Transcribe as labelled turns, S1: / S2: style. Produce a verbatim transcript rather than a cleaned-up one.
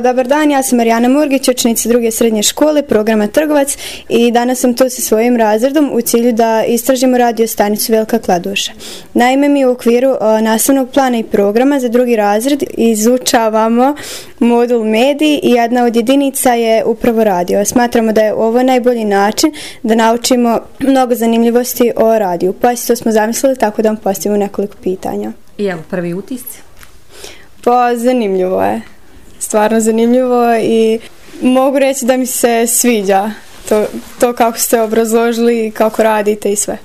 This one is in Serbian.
S1: Dobar dan, ja sam Marijana Murgić, učenica druge srednje škole, programa Trgovac i danas sam tu sa svojim razredom u cilju da istražimo radio stanicu Velika Kladuša. Naime, mi u okviru nastavnog plana i programa za drugi razred izučavamo modul mediji i jedna od jedinica je upravo radio. Smatramo da je ovo najbolji način da naučimo mnogo zanimljivosti o radiju. Pa to smo zamislili tako da vam postavimo nekoliko pitanja.
S2: I evo, prvi utisci?
S1: Pa zanimljivo je. Stvarno zanimljivo i mogu reći da mi se sviđa to, to kako ste obrazložili i kako radite i sve.